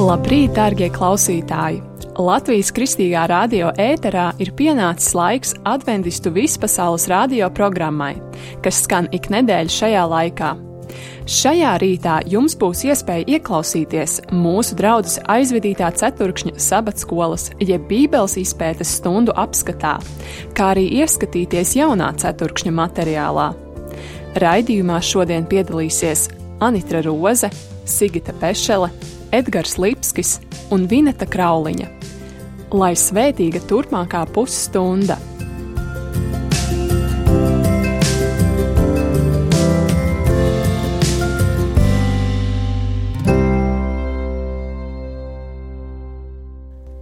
Labrīt, dārgie klausītāji! Latvijas Kristīgā radio ēterā ir pienācis laiks adventistu vispasaules radio programmai, kas skan ik nedēļu šajā laikā. Šajā rītā jums būs iespēja ieklausīties mūsu draudzes aizvedītā ceturkšņa sabatskolas jeb Bībeles izpētes stundu apskatā, kā arī ieskatīties jaunā ceturkšņa materiālā. Raidījumā šodien piedalīsies Anitra Roze, Sigita Pešele, Edgars Lipskis un Vineta Krauliņa. Lai svētīga turpmākā pusstunda!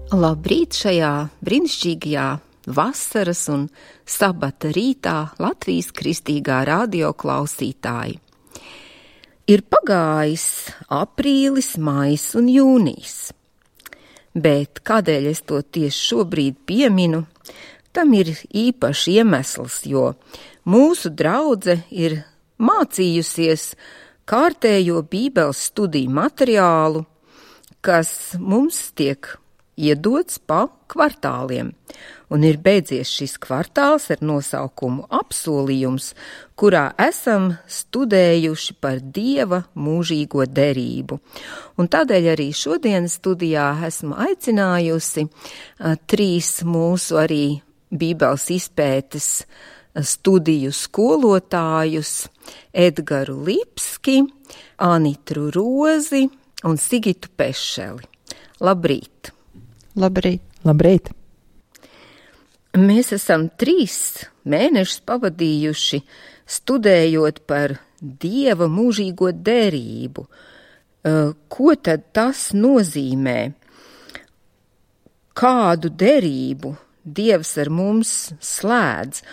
Labrīt šajā brīnišķīgajā vasaras un sabata rītā Latvijas Kristīgā radio klausītāji. Ir pagājis aprīlis, maijs un jūnijs, bet kādēļ es to tieši šobrīd pieminu, tam ir īpašs iemesls, jo mūsu draudze ir mācījusies kārtējo Bībeles studiju materiālu, kas mums tiek iedots pa kvartāliem, un ir beidzies šis kvartāls ar nosaukumu apsolījums, kurā esam studējuši par Dieva mūžīgo derību. Un tādēļ arī šodienas studijā esmu aicinājusi trīs mūsu arī Bībeles izpētes studiju skolotājus Edgaru Lipski, Anitru Rozi un Sigitu Pešeli. Labrīt! Labrīt! Labrīt! Mēs esam 3 mēnešus pavadījuši studējot par Dieva mūžīgo derību. Ko tad tas nozīmē? Kādu derību Dievs ar mums slēdz?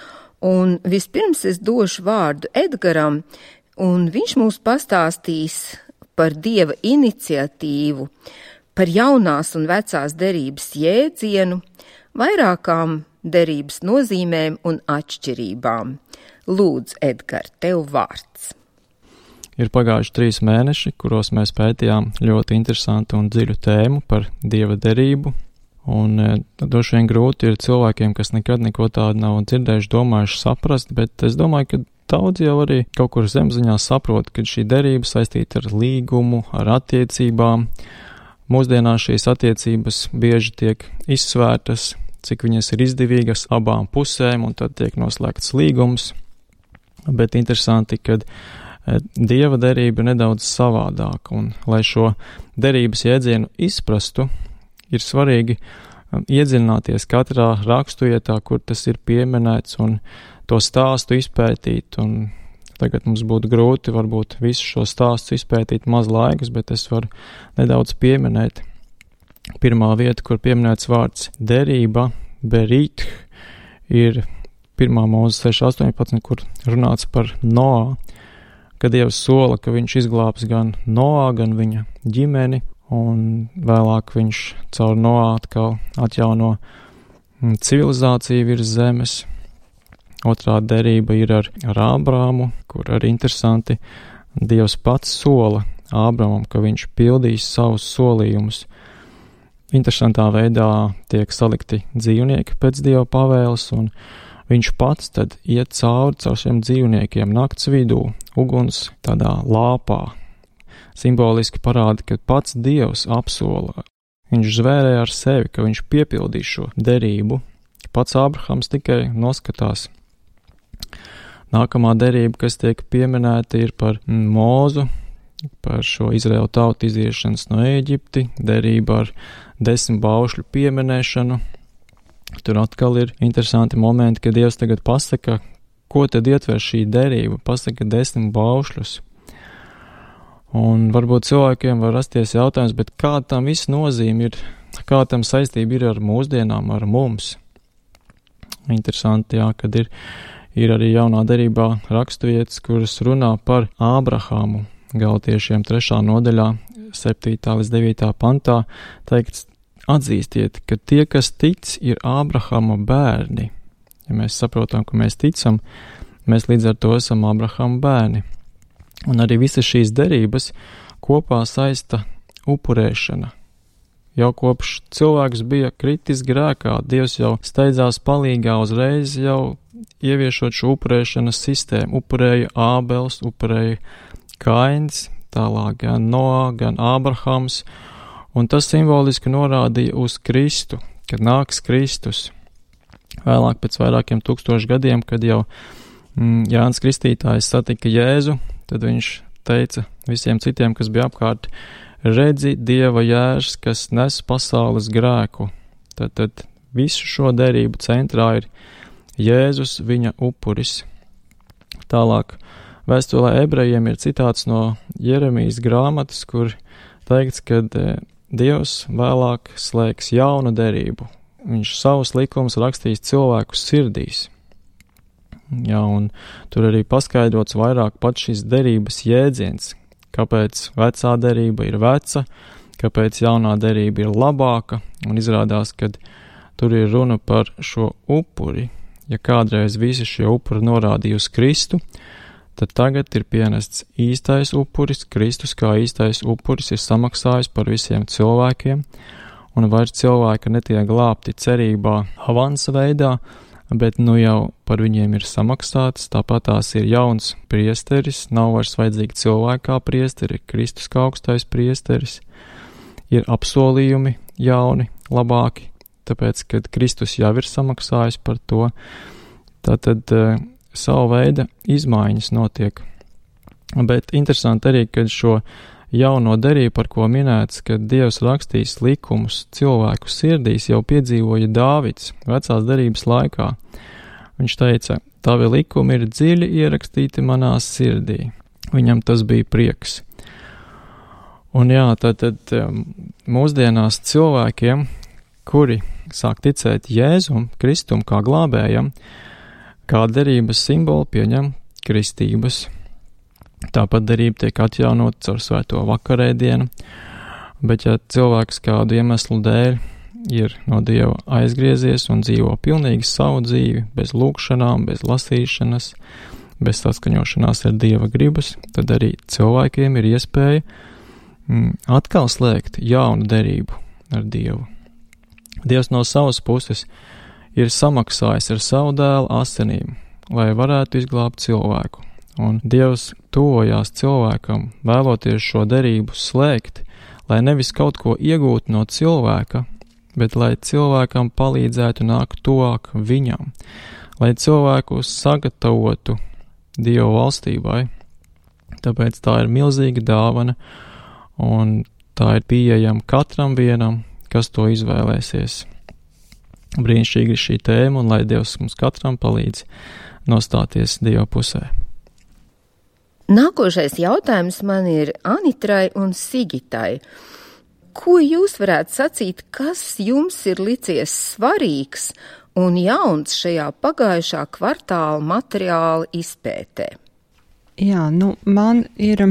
Un vispirms es došu vārdu Edgaram, un viņš mums pastāstīs par Dieva iniciatīvu, par jaunās un vecās derības jēdzienu, vairākām derības nozīmēm un atšķirībām. Lūdzu, Edgar, tev vārds. Ir pagājuši 3 mēneši, kuros mēs pētījām ļoti interesantu un dziļu tēmu par Dieva derību, un droši vien grūti ir cilvēkiem, kas nekad neko tādu nav dzirdējuši, domājuši saprast, bet es domāju, ka daudz jau arī kaut kur zemziņā saprot, ka šī derība saistīta ar līgumu, ar attiecībām. Mūsdienās šīs attiecības bieži tiek izsvērtas, cik viņas ir izdevīgas abām pusēm, un tad tiek noslēgts līgums. Bet interesanti, ka Dieva derība ir nedaudz savādāka, un lai šo derības jēdzienu izprastu, ir svarīgi iedziļināties katrā rakstuvietā, kur tas ir pieminēts, un to stāstu izpētīt, un tagad mums būtu grūti varbūt visu šo stāstu izpētīt maz laikas, bet es varu nedaudz pieminēt. Pirmā vieta, kur pieminēts vārds derība, berīt, ir 1. Mūzes 6.18, kur runāts par Noā, kad Dievs sola, ka viņš izglābs gan Noā, gan viņa ģimeni, un vēlāk viņš caur Noā atkal atjauno civilizāciju virs zemes. Otrā derība ir ar Ābrāmu, kur arī interesanti Dievs pats sola Ābramam, ka viņš pildīs savus solījumus. Interesantā veidā tiek salikti dzīvnieki pēc Dieva pavēles, un viņš pats tad iet caur šiem dzīvniekiem nakts vidū, uguns tādā lāpā. Simboliski parāda, ka pats Dievs apsola. Viņš zvērēja ar sevi, ka viņš piepildīs šo derību. Pats Ābrahams tikai noskatās. Nākamā derība, kas tiek pieminēta, ir par Mūzu, par šo Izraēlu tautu iziešanas no Ēģipti, derība ar 10 baušļu pieminēšanu. Tur atkal ir interesanti momenti, kad Dievs tagad pasaka, ko tad ietver šī derība, pasaka 10 baušļus. Un varbūt cilvēkiem var rasties jautājums, bet kā tam viss nozīme ir, kā tam saistība ir ar mūsdienām, ar mums? Interesanti, jā, kad ir arī jaunā derībā raksturvietas, kuras runā par Ābrahāmu. Galatiešiem 3. nodaļā, 7. līdz 9. pantā, teikts, atzīstiet, ka tie, kas tic, ir Ābrahama bērni. Ja mēs saprotam, ka mēs ticam, mēs līdz ar to esam Ābrahama bērni. Un arī visas šīs derības kopā saista upurēšana. Jau kopš cilvēks bija kritis grēkā, Dievs jau steidzās palīgā uzreiz jau ieviešot šo upurēšanas sistēmu. Upurēja Ābels, upurēja Kains, tālāk gan Noā, gan Ābrahams, un tas simboliski norādīja uz Kristu, kad nāks Kristus. Vēlāk pēc vairākiem 1000 gadiem, kad jau Jānis Kristītājs satika Jēzu, tad viņš teica visiem citiem, kas bija apkārt, redzi Dieva jērs, kas nes pasaules grēku. Tad visu šo derību centrā ir Jēzus, viņa upuris. Tālāk vēstulē ebrejiem ir citāts no Jeremijas grāmatas, kur teikts, ka Dievs vēlāk slēgs jaunu derību. Viņš savus likumus rakstīs cilvēku sirdīs. Jā, un tur arī paskaidrots vairāk pat šis derības jēdziens, kāpēc vecā derība ir veca, kāpēc jaunā derība ir labāka, un izrādās, ka tur ir runa par šo upuri. Ja kādreiz visi šie upuri norādīja uz Kristu, tad tagad ir pienests īstais upuris, Kristus kā īstais upuris ir samaksājis par visiem cilvēkiem, un vairs cilvēki netiek glābti cerībā avansa veidā, bet nu jau par viņiem ir samaksāts, tāpat tās ir jauns priesteris, nav vairs vajadzīgi cilvēki kā priesteri, ir Kristus kā augstais priesteris, ir apsolījumi jauni, labāki, tāpēc, kad Kristus jau ir samaksājis par to, tātad savu veidu izmaiņas notiek. Bet interesanti arī, kad šo jauno derību, par ko minēts, kad Dievs rakstīs likumus cilvēku sirdīs, jau piedzīvoja Dāvids vecās derības laikā. Viņš teica, tavi likumi ir dziļi ierakstīti manā sirdī. Viņam tas bija prieks. Un jā, tad mūsdienās cilvēkiem, kuri sāk ticēt Jēzum, Kristum kā glābējam, kā derības simbolu pieņem kristības. Tāpat derība tiek atjaunot caur svēto vakarēdienu, bet ja cilvēks kādu iemeslu dēļ ir no Dieva aizgriezies un dzīvo pilnīgi savu dzīvi, bez lūkšanām, bez lasīšanas, bez saskaņošanās ar Dieva gribas, tad arī cilvēkiem ir iespēja atkal slēgt jaunu derību ar Dievu. Dievs no savas puses ir samaksājis ar savu dēlu asinīm, lai varētu izglābt cilvēku. Un Dievs tuvojās cilvēkam, vēloties šo derību slēgt, lai nevis kaut ko iegūtu no cilvēka, bet lai cilvēkam palīdzētu nākt tuvāk viņam, lai cilvēku sagatavotu Dieva valstībai. Tāpēc tā ir milzīga dāvana, un tā ir pieejama katram vienam, kas to izvēlēsies. Brīnišķīgi ir šī tēma, un lai Dievs mums katram palīdz nostāties Dieva pusē. Nākošais jautājums man ir Anitrai un Sigitai. Ko jūs varētu sacīt, kas jums ir licies svarīgs un jauns šajā pagājušā kvartāla materiāla izpētē? Jā, man ir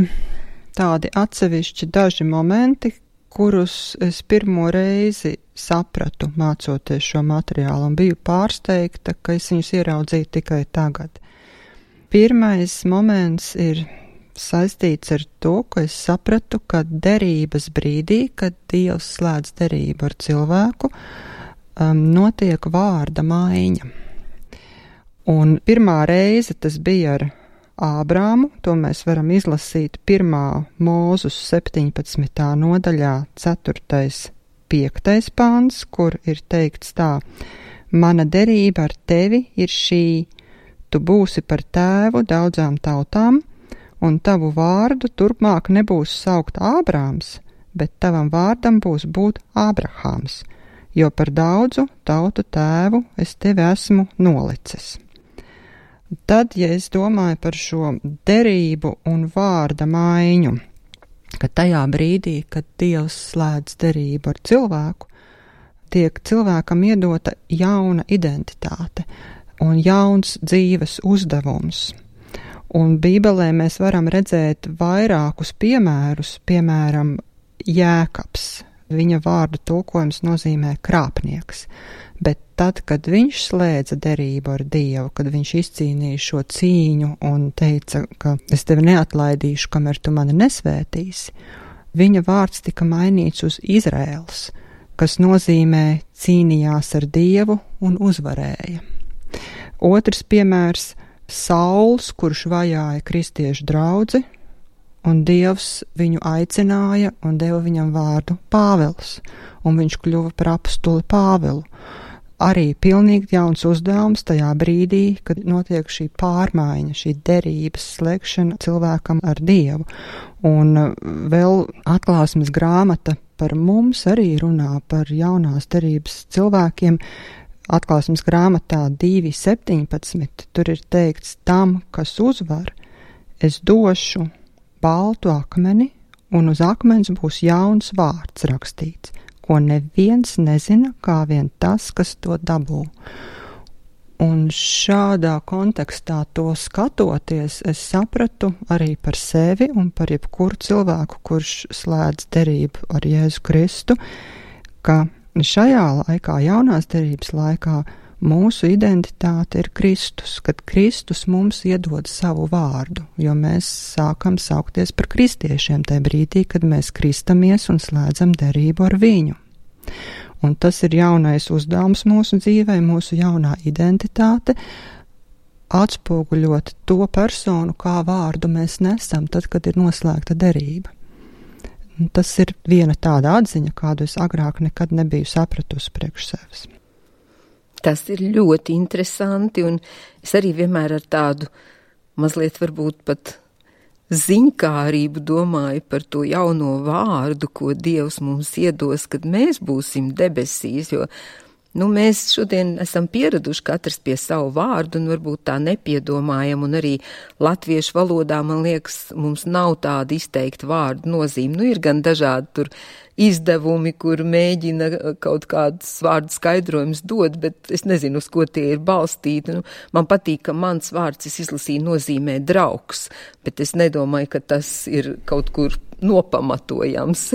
tādi atsevišķi daži momenti, kurus es pirmo reizi sapratu, mācoties šo materiālu, un biju pārsteigta, ka es viņus ieraudzīju tikai tagad. Pirmais moments ir saistīts ar to, ka es sapratu, ka derības brīdī, kad Dievs slēdz derību ar cilvēku, notiek vārda maiņa. Un pirmā reize tas bija ar Ābrāmu, to mēs varam izlasīt 1. Mūzus 17. nodaļā 4.5. pāns, kur ir teikts tā: mana derība ar tevi ir šī, tu būsi par tēvu daudzām tautām, un tavu vārdu turpmāk nebūs saukt Ābrāms, bet tavam vārdam būs būt Ābrahāms, jo par daudzu tautu tēvu es tevi esmu nolicis. Tad, ja es domāju par šo derību un vārda maiņu, ka tajā brīdī, kad Dievs slēdz derību ar cilvēku, tiek cilvēkam iedota jauna identitāte un jauns dzīves uzdevums. Un Bībelē mēs varam redzēt vairākus piemērus, piemēram, Jēkabs. Viņa vārdu tulkojums nozīmē krāpnieks, bet tad, kad viņš slēdza derību ar Dievu, kad viņš izcīnīja šo cīņu un teica, ka es tevi neatlaidīšu, kamēr tu mani nesvētīsi, viņa vārds tika mainīts uz Izraēls. kas nozīmē cīnījās ar Dievu un uzvarēja. Otrs piemērs - Sauls, kurš vajāja kristiešu draudzi, un Dievs viņu aicināja un deva viņam vārdu Pāvils, un viņš kļuva par apostuli Pāvilu. Arī pilnīgi jauns uzdevums tajā brīdī, kad notiek šī pārmaiņa, šī derības slēgšana cilvēkam ar Dievu. Un vēl atklāsmes grāmata par mums arī runā par jaunās derības cilvēkiem. Atklāsmes grāmatā 2.17 tur ir teikts: tam, kas uzvar, es došu baltu akmeni, un uz akmens būs jauns vārds rakstīts, ko neviens nezina, kā vien tas, kas to dabū. Un šādā kontekstā to skatoties, es sapratu arī par sevi un par jebkuru cilvēku, kurš slēdz derību ar Jēzu Kristu, ka šajā laikā, jaunās derības laikā, mūsu identitāte ir Kristus, kad Kristus mums iedod savu vārdu, jo mēs sākam saukties par kristiešiem tajā brīdī, kad mēs kristamies un slēdzam derību ar viņu. Un tas ir jaunais uzdevums mūsu dzīvē, mūsu jaunā identitāte, atspoguļot to personu, kā vārdu mēs nesam, tad, kad ir noslēgta derība. Tas ir viena tāda atziņa, kādu es agrāk nekad nebiju sapratusi priekš sevis. Tas ir ļoti interesanti, un es arī vienmēr ar tādu mazliet varbūt pat ziņkārību domāju par to jauno vārdu, ko Dievs mums iedos, kad mēs būsim debesīs, jo mēs šodien esam pieraduši katrs pie savu vārdu un varbūt tā nepiedomājam, un arī latviešu valodā, man liekas, mums nav tāda izteikta vārdu nozīme. Ir gan dažādi tur izdevumi, kur mēģina kaut kādus vārdu skaidrojumus dot, bet es nezinu, uz ko tie ir balstīti. Man patīk, ka mans vārds, es izlasīju, nozīmē draugs, bet es nedomāju, ka tas ir kaut kur nopamatojams.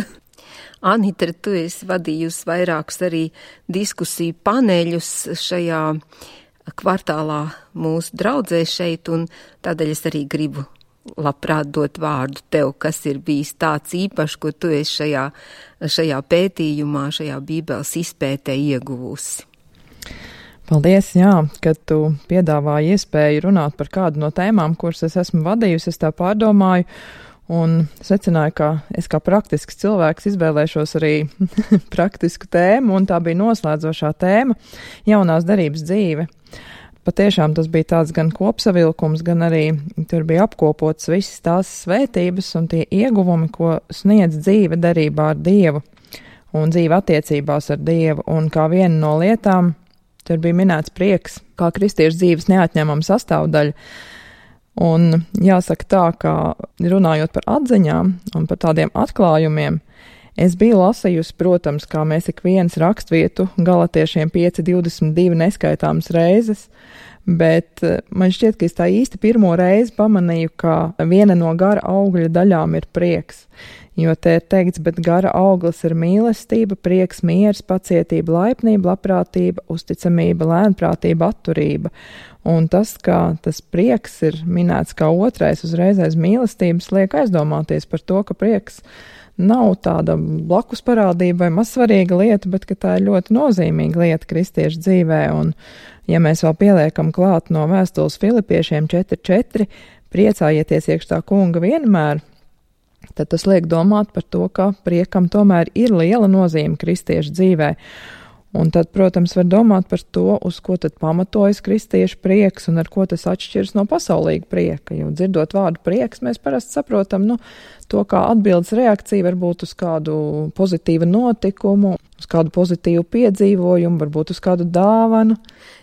Anita, tu esi vadījusi vairākus arī diskusiju paneļus šajā kvartālā mūsu draudzē šeit, un tādēļ es arī gribu labprāt dot vārdu tev, kas ir bijis tāds īpašs, ko tu esi šajā pētījumā, šajā Bībeles izpētē ieguvusi. Paldies, kad tu piedāvāji iespēju runāt par kādu no tēmām, kuras es esmu vadījusi, es tā pārdomāju, un secināju, ka es kā praktisks cilvēks izvēlēšos arī praktisku tēmu, un tā bija noslēdzošā tēma - jaunās derības dzīve. Patiešām tas bija tāds gan kopsavilkums, gan arī tur bija apkopots visas tās svētības un tie ieguvumi, ko sniedz dzīve derībā ar Dievu un dzīve attiecībās ar Dievu. Un kā viena no lietām, tur bija minēts prieks, kā kristiešu dzīves neatņemama sastāvdaļa. Un jāsaka tā, ka runājot par atziņām un par tādiem atklājumiem, es biju lasījusi, protams, kā mēs ik viens rakstvietu Galatiešiem 5.22 neskaitāmas reizes, bet man šķiet, ka es tā īsti pirmo reizi pamanīju, ka viena no gara augļa daļām ir prieks. Jo te ir teikts, bet gara auglis ir mīlestība, prieks, miers, pacietība, laipnība, labprātība, uzticamība, lēnprātība, atturība. Un tas, ka tas prieks ir minēts kā otrais uzreiz aiz mīlestības, liek aizdomāties par to, ka prieks nav tāda blakus parādība vai mazsvarīga lieta, bet ka tā ir ļoti nozīmīga lieta kristiešu dzīvē. Un ja mēs vēl pieliekam klāt no vēstules Filipiešiem 4.4, priecājieties iekš tā kunga vienmēr, tad tas liek domāt par to, ka priekam tomēr ir liela nozīme kristiešu dzīvē. Un tad, protams, var domāt par to, uz ko tad pamatojas kristiešu prieks un ar ko tas atšķiras no pasaulīga prieka. Jo dzirdot vārdu prieks, mēs parasti saprotam, to kā atbildes reakcija varbūt uz kādu pozitīvu notikumu, uz kādu pozitīvu piedzīvojumu, varbūt uz kādu dāvanu.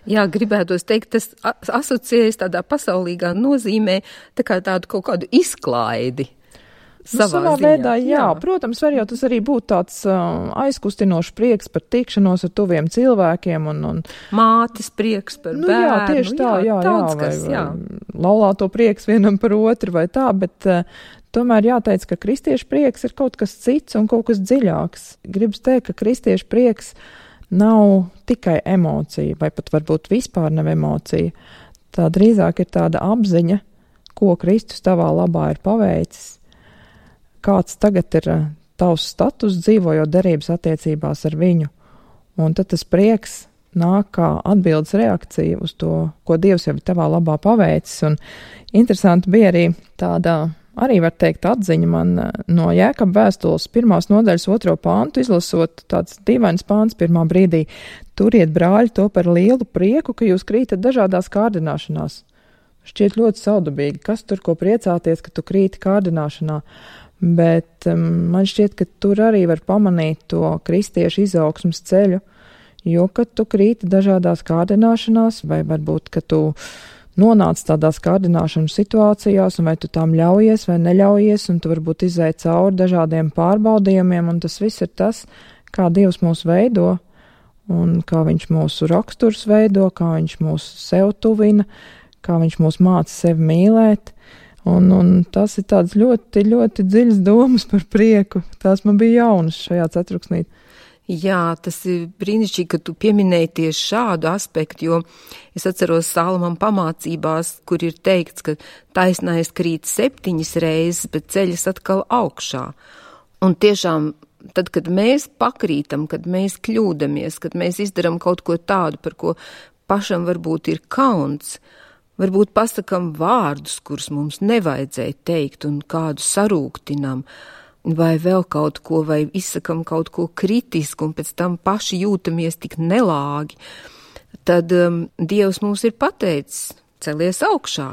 Jā, gribētos teikt, tas asociējas tādā pasaulīgā nozīmē tā kā tādu kaut kādu izklaidi. Savā veidā, jā. Protams, var jau tas arī būt tāds aizkustinošs prieks par tikšanos ar tuviem cilvēkiem un mātes prieks par bērnu. Jā, tieši tā, vai laulāto prieks vienam par otru vai tā, bet tomēr jāteic, ka kristiešu prieks ir kaut kas cits un kaut kas dziļāks. Gribas teikt, ka kristiešu prieks nav tikai emocija, vai pat varbūt vispār nav emocija. Tā drīzāk ir tāda apziņa, ko Kristus tavā labā ir paveicis. Kāds tagad ir tavs status dzīvojot derības attiecībās ar viņu. Un tad tas prieks nāk kā atbildes reakcija uz to, ko Dievs jau ir tavā labā paveicis. Un interesanti bija arī tāda, arī var teikt, atziņa man no Jēkaba vēstules 1. nodaļas 2. pāntu, izlasot tāds dīvains pāns pirmā brīdī. Turiet, brāļi, to par lielu prieku, ka jūs krītat dažādās kārdināšanās. Šķiet ļoti saudabīgi, kas tur ko priecāties, ka tu krīti kārdināšanā, bet man šķiet, ka tur arī var pamanīt to kristiešu izaugsmas ceļu, jo, kad tu krīti dažādās kārdināšanās, vai varbūt, ka tu nonāc tādās kārdināšanas situācijās, un vai tu tām ļaujies vai neļaujies, un tu varbūt izēj cauri dažādiem pārbaudījumiem, un tas viss ir tas, kā Dievs mūs veido, un kā viņš mūsu raksturs veido, kā viņš mūs sev tuvina, kā viņš mūs māca sevi mīlēt, un tas ir tāds ļoti, ļoti dziļas domas par prieku. Tās man bija jaunas šajā ceturksnī. Jā, tas ir brīnišķīgi, ka tu pieminēji tieši šādu aspektu, jo es atceros Salmam pamācībās, kur ir teikts, ka taisnais krīt 7 reizes, bet ceļas atkal augšā. Un tiešām, tad, kad mēs pakrītam, kad mēs kļūdamies, kad mēs izdaram kaut ko tādu, par ko pašam varbūt ir kauns, varbūt pasakam vārdus, kurus mums nevajadzēja teikt un kādu sarūktinam, vai vēl kaut ko, vai izsakam kaut ko kritisku un pēc tam paši jūtamies tik nelāgi, tad Dievs mums ir pateicis, celies augšā.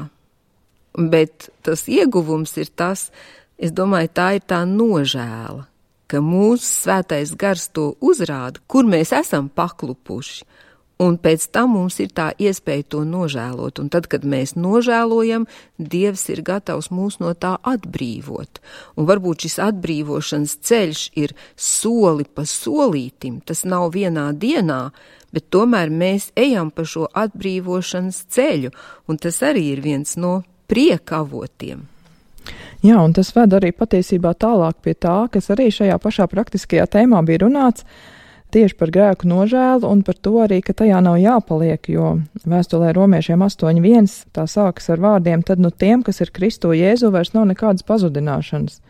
Bet tas ieguvums ir tas, es domāju, tā ir tā nožēla, ka mūsu svētais gars to uzrāda, kur mēs esam paklupuši. Un pēc tam mums ir tā iespēja to nožēlot, un tad, kad mēs nožēlojam, Dievs ir gatavs mūs no tā atbrīvot. Un varbūt šis atbrīvošanas ceļš ir soli pa solītim, tas nav vienā dienā, bet tomēr mēs ejam pa šo atbrīvošanas ceļu, un tas arī ir viens no prieka avotiem. Jā, un tas ved arī patiesībā tālāk pie tā, kas arī šajā pašā praktiskajā tēmā bija runāts, tieši par grēku nožēlu un par to arī, ka tajā nav jāpaliek, jo vēstulē romiešiem 8.1 tā sākas ar vārdiem, tad tiem, kas ir Kristo Jēzu, vairs nav nekādas pazudināšanas.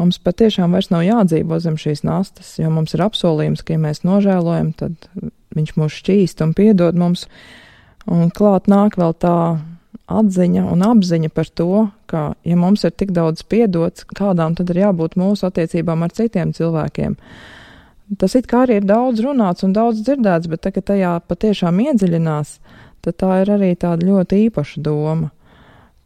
Mums patiešām vairs nav jādzīvo zem šīs nastas, jo mums ir apsolījums, ka ja mēs nožēlojam, tad viņš mūs šķīst un piedod mums. Un klāt nāk vēl tā atziņa un apziņa par to, ka ja mums ir tik daudz piedots, kādām tad ir jābūt mūsu attiecībām ar citiem cilvēkiem. Tas it kā arī ir daudz runāts un daudz dzirdēts, bet tagad tajā patiešām iedziļinās, tad tā ir arī tāda ļoti īpaša doma,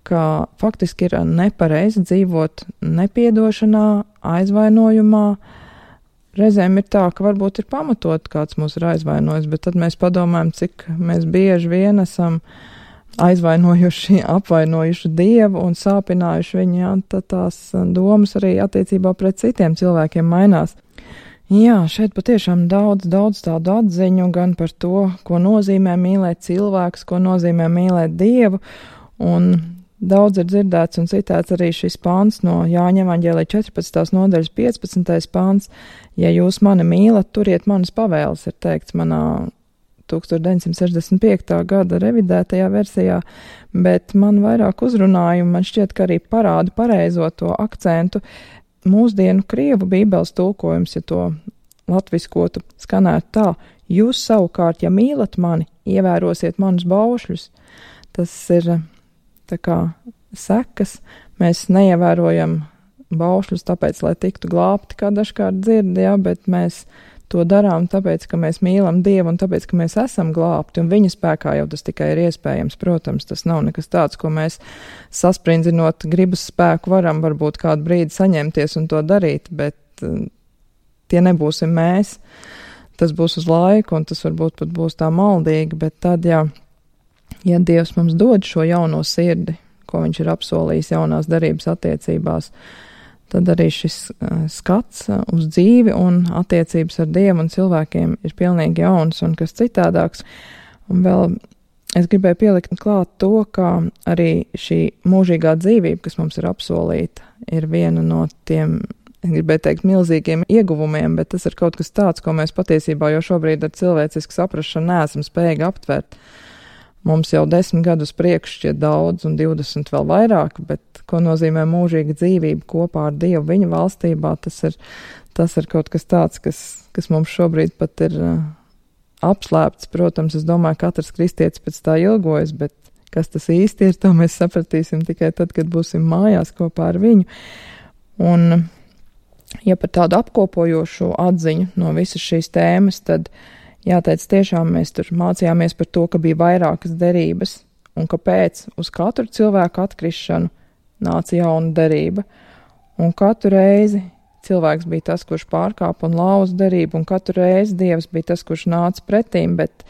ka faktiski ir nepareizi dzīvot nepiedošanā, aizvainojumā. Reizēm ir tā, ka varbūt ir pamatot, kāds mūs ir aizvainojis, bet tad mēs padomājam, cik mēs bieži vien esam aizvainojuši, apvainojuši Dievu un sāpinājuši viņu, jā, tad tās domas arī attiecībā pret citiem cilvēkiem mainās. Jā, šeit patiešām daudz tādu atziņu gan par to, ko nozīmē mīlēt cilvēkus, ko nozīmē mīlēt Dievu, un daudz ir dzirdēts un citēts arī šis pāns no Jāņa evaņģēlija 14. nodaļas 15. pāns. Ja jūs mani mīlat, turiet manas pavēles, ir teikts manā 1965. gada revidētajā versijā, bet man vairāk uzrunāja, un man šķiet, ka arī parāda pareizo to akcentu. Mūsdienu krievu bībeles tulkojums, ja to latviskotu, skanētu tā: jūs savukārt, ja mīlat mani, ievērosiet manus baušļus. Tas ir tā kā sekas, mēs neievērojam baušļus tāpēc, lai tiktu glābti, kā dažkārt dzird, jā, bet mēs to darām tāpēc, ka mēs mīlam Dievu un tāpēc, ka mēs esam glābti, un viņa spēkā jau tas tikai ir iespējams. Protams, tas nav nekas tāds, ko mēs sasprindzinot gribas spēku varam varbūt kādu brīdi saņemties un to darīt, bet tie nebūsim mēs. Tas būs uz laiku, un tas varbūt pat būs tā maldīgi, bet tad, ja Dievs mums dod šo jauno sirdi, ko viņš ir apsolījis jaunās derības attiecībās, tad arī šis skats uz dzīvi un attiecības ar Dievu un cilvēkiem ir pilnīgi jauns un kas citādāks. Un vēl es gribēju pielikt klāt to, ka arī šī mūžīgā dzīvība, kas mums ir apsolīta, ir viena no tiem, es gribēju teikt, milzīgiem ieguvumiem, bet tas ir kaut kas tāds, ko mēs patiesībā jau šobrīd ar cilvēcisku saprašanu neesam spējīgi aptvert. mums jau 10 gadus priekš šķiet daudz un 20 vēl vairāk, bet ko nozīmē mūžīga dzīvība kopā ar Dievu viņa valstībā, tas ir kaut kas tāds, kas mums šobrīd pat ir apslēpts. Protams, es domāju, katrs kristietis pēc tā ilgojas, bet kas tas īsti ir, to mēs sapratīsim tikai tad, kad būsim mājās kopā ar viņu. Un, ja par tādu apkopojošu atziņu no visas šīs tēmas, tad jāteic, tiešām mēs tur mācījāmies par to, ka bija vairākas derības un kāpēc uz katru cilvēku atkrišanu nāca jauna derība. Un katru reizi cilvēks bija tas, kurš pārkāpa un lauza derību, un katru reizi Dievs bija tas, kurš nāca pretīm, bet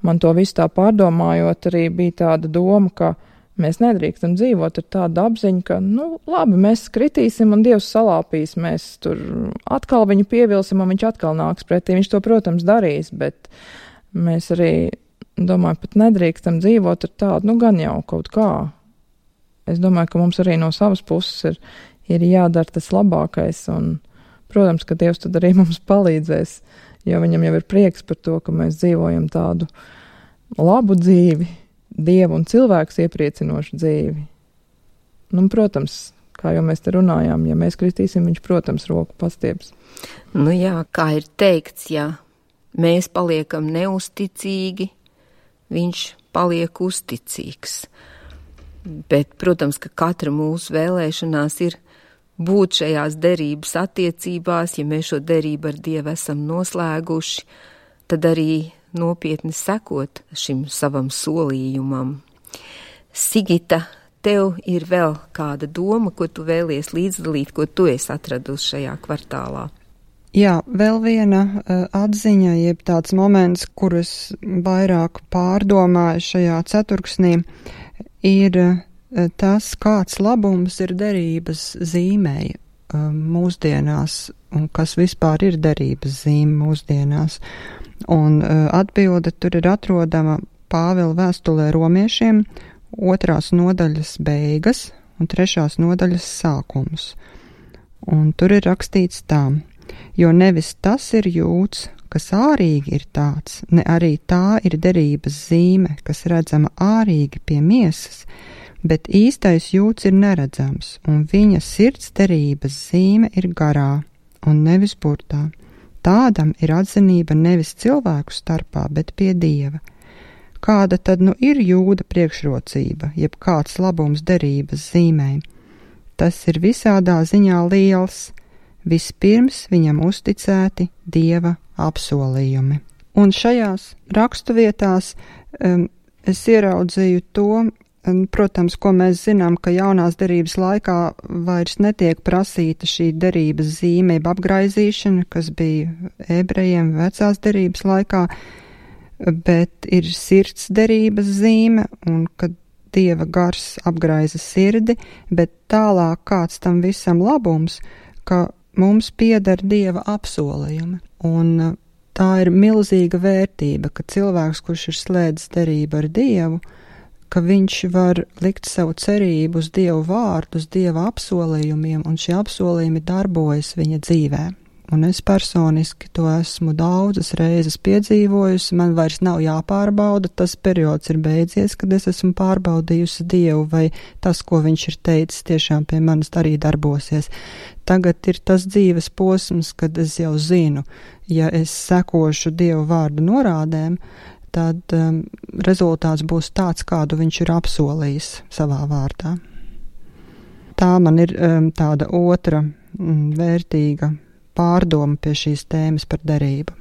man to visu tā pārdomājot arī bija tāda doma, ka mēs nedrīkstam dzīvot ar tādu apziņu, ka, labi, mēs kritīsim un Dievs salāpīs, mēs tur atkal viņu pievilsim un viņš atkal nāks pretī. Viņš to, protams, darīs, bet mēs arī, domāju, pat nedrīkstam dzīvot ar tādu, gan jau kaut kā. Es domāju, ka mums arī no savas puses ir jādara tas labākais un, protams, ka Dievs tad arī mums palīdzēs, jo viņam jau ir prieks par to, ka mēs dzīvojam tādu labu dzīvi, Dievu un cilvēks iepriecinošu dzīvi. Protams, kā jau mēs te runājām, ja mēs kristīsim, viņš, protams, roku pastieps. Jā, kā ir teikts, ja mēs paliekam neusticīgi, viņš paliek uzticīgs. Bet, protams, ka katra mūsu vēlēšanās ir būt šajās derības attiecībās, ja mēs šo derību ar Dievu esam noslēguši, tad arī nopietni sekot šim savam solījumam. Sigita, tev ir vēl kāda doma, ko tu vēlies līdzdalīt, ko tu esi atradusi šajā kvartālā? Jā, vēl viena atziņa, jeb tāds moments, kurus vairāk pārdomāju šajā ceturksnī, ir tas, kāds labums ir derības zīmei mūsdienās, un kas vispār ir derības zīme mūsdienās. Un atbilde tur ir atrodama Pāvila vēstulē romiešiem 2. nodaļas beigas un 3. nodaļas sākums. Un tur ir rakstīts tā: jo nevis tas ir jūds, kas ārīgi ir tāds, ne arī tā ir derības zīme, kas redzama ārīgi pie miesas, bet īstais jūds ir neredzams, un viņa sirds derības zīme ir garā un nevis burtā. Tādam ir atzinība nevis cilvēku starpā, bet pie Dieva. Kāda tad ir jūda priekšrocība, jeb kāds labums derības zīmē? Tas ir visādā ziņā liels. Vispirms viņam uzticēti Dieva apsolījumi. Un šajās rakstuvietās es ieraudzīju to, protams, ko mēs zinām, ka jaunās derības laikā vairs netiek prasīta šī derības zīme, apgraizīšana, kas bija ebrejiem vecās derības laikā, bet ir sirds derības zīme, un kad Dieva gars apgraiza sirdi, bet tālāk kāds tam visam labums, ka mums pieder Dieva apsolījumi. Un tā ir milzīga vērtība, ka cilvēks, kurš ir slēdzis derību ar Dievu, ka viņš var likt savu cerību uz Dievu vārdu, uz Dieva apsolījumiem, un šie apsolījumi darbojas viņa dzīvē. Un es personiski to esmu daudzas reizes piedzīvojusi, man vairs nav jāpārbauda, tas periods ir beidzies, kad es esmu pārbaudījusi Dievu, vai tas, ko viņš ir teicis, tiešām pie manis arī darbosies. Tagad ir tas dzīves posms, kad es jau zinu, ja es sekošu Dievu vārdu norādēm, tad rezultāts būs tāds, kādu viņš ir apsolījis savā vārdā. Tā man ir tāda otra vērtīga pārdoma pie šīs tēmas par derību.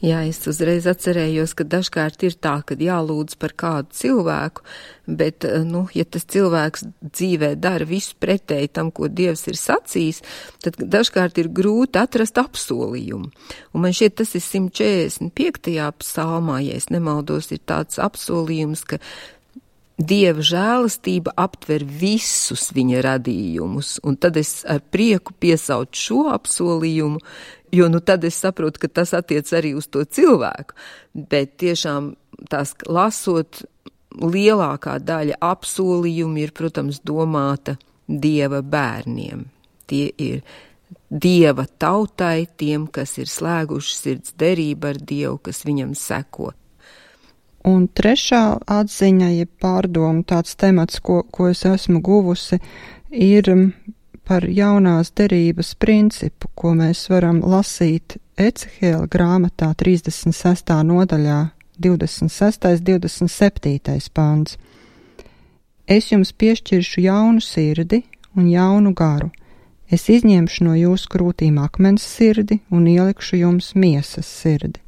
Jā, es uzreiz atcerējos, ka dažkārt ir tā, ka jālūdz par kādu cilvēku, bet, ja tas cilvēks dzīvē dara visu pretēji tam, ko Dievs ir sacījis, tad dažkārt ir grūti atrast apsolījumu. Un man šķiet, tas ir 145. psalmā, ja es nemaldos, ir tāds apsolījums, ka Dieva žēlastība aptver visus viņa radījumus, un tad es ar prieku piesaucu šo apsolījumu, jo tad es saprotu, ka tas attiec arī uz to cilvēku, bet tiešām tās lasot, lielākā daļa apsolījumu ir, protams, domāta Dieva bērniem. Tie ir Dieva tautai, tiem, kas ir slēguši sirds derību ar Dievu, kas viņam seko. Un trešā atziņa, ja pārdomu tāds temats, ko es esmu guvusi, ir par jaunās derības principu, ko mēs varam lasīt Ecehēla grāmatā 36. nodaļā 26. 27. pants. Es jums piešķiršu jaunu sirdi un jaunu garu. Es izņemšu no jūsu krūtīm akmens sirdi un ielikšu jums miesas sirdi.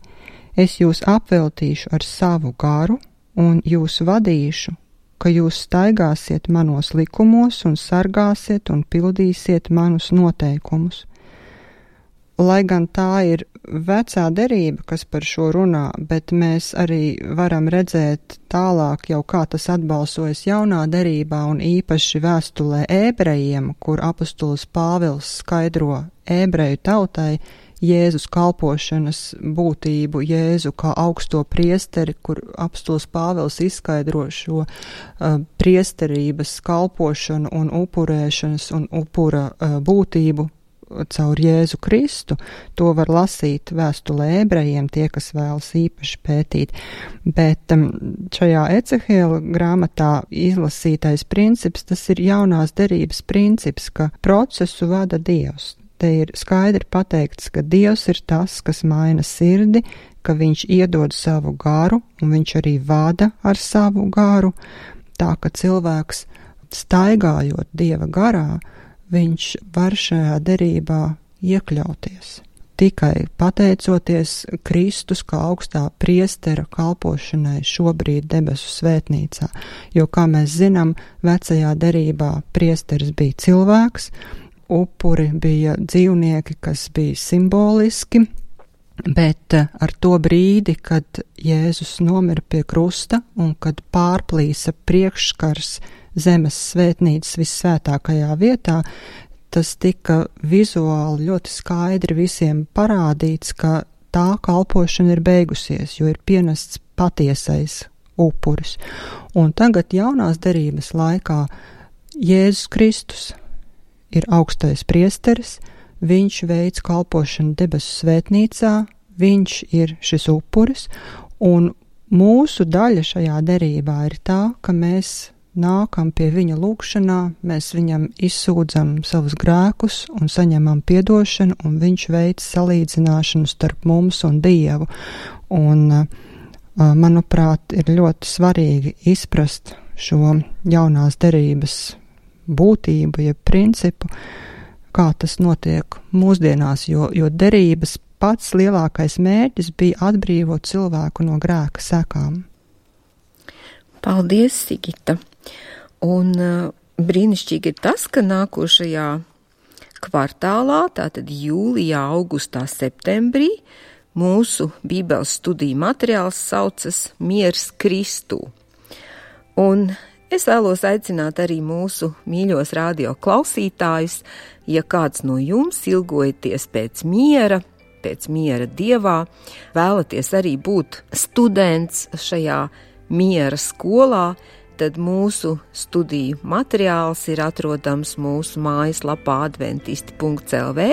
Es jūs apveltīšu ar savu garu un jūs vadīšu, ka jūs staigāsiet manos likumos un sargāsiet un pildīsiet manus noteikumus. Lai gan tā ir vecā derība, kas par šo runā, bet mēs arī varam redzēt tālāk jau kā tas atbalsojas jaunā derībā un īpaši vēstulē ebrejiem, kur apostols Pāvils skaidro ebreju tautai Jēzus kalpošanas būtību, Jēzu kā augsto priesteri, kur apostols Pāvils izskaidro šo priesterības kalpošanu un upurēšanas un upura būtību caur Jēzu Kristu. To var lasīt vēstulē ebrejiem, tie, kas vēlas īpaši pētīt. Bet šajā Ecehēla grāmatā izlasītais princips, tas ir jaunās derības princips, ka procesu vada Dievs. Te ir skaidri pateikts, ka Dievs ir tas, kas maina sirdi, ka viņš iedod savu garu, un viņš arī vada ar savu garu, tā ka cilvēks staigājot Dieva garā, viņš var šajā derībā iekļauties. Tikai pateicoties Kristus kā augstā priestera kalpošanai šobrīd debesu svētnīcā, jo, kā mēs zinām, vecajā derībā priesteris bija cilvēks, upuri bija dzīvnieki, kas bija simboliski, bet ar to brīdi, kad Jēzus nomira pie krusta un kad pārplīsa priekšskars zemes svētnīcas vissvētākajā vietā, tas tika vizuāli ļoti skaidri visiem parādīts, ka tā kalpošana ir beigusies, jo ir pienests patiesais upuris. Un tagad jaunās derības laikā Jēzus Kristus ir augstais priesteris, viņš veic kalpošanu debesu svētnīcā, viņš ir šis upuris, un mūsu daļa šajā derībā ir tā, ka mēs nākam pie viņa lūgšanā, mēs viņam izsūdzam savus grēkus un saņemam piedošanu, un viņš veic salīdzināšanu starp mums un Dievu. Un, manuprāt, ir ļoti svarīgi izprast šo jaunās derības būtību, jeb principu, kā tas notiek mūsdienās, jo derības pats lielākais mērķis bija atbrīvot cilvēku no grēka sekām. Paldies, Sigita! Un brīnišķīgi ir tas, ka nākošajā kvartālā, tātad jūlijā, augustā, septembrī, mūsu bībeles studiju materiāls saucas Miers Kristū. Un es vēlos aicināt arī mūsu mīļos radio klausītājus, ja kāds no jums ilgojaties pēc miera Dievā, vēlaties arī būt students šajā miera skolā, tad mūsu studiju materiāls ir atrodams mūsu mājaslapā adventisti.lv,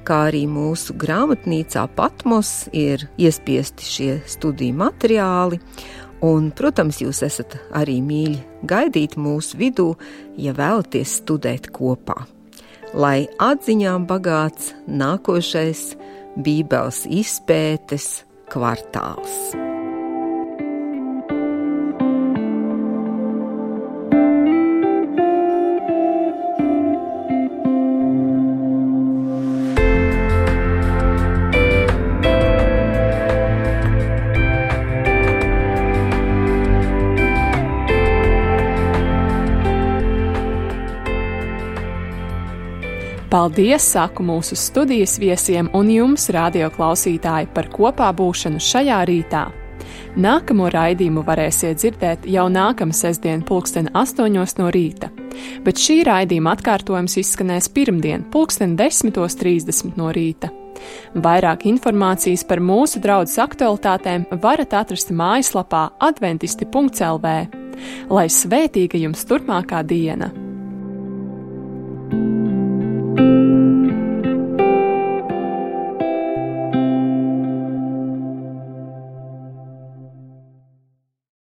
kā arī mūsu grāmatnīcā Patmos ir iespiesti šie studiju materiāli. Un, protams, jūs esat arī mīļi gaidīt mūsu vidū, ja vēlaties studēt kopā. Lai atziņām bagāts nākošais Bībeles izpētes kvartāls. Paldies, saku mūsu studijas viesiem un jums, radio klausītāji, par kopā būšanu šajā rītā. Nākamo raidījumu varēsiet dzirdēt jau nākamā sestdien 8:00 no rīta, bet šī raidījuma atkārtojums izskanēs pirmdien 10:30 no rīta. Vairāk informācijas par mūsu draudzes aktualitātēm varat atrast mājaslapā adventisti.lv. Lai svētīga jums turpmākā diena!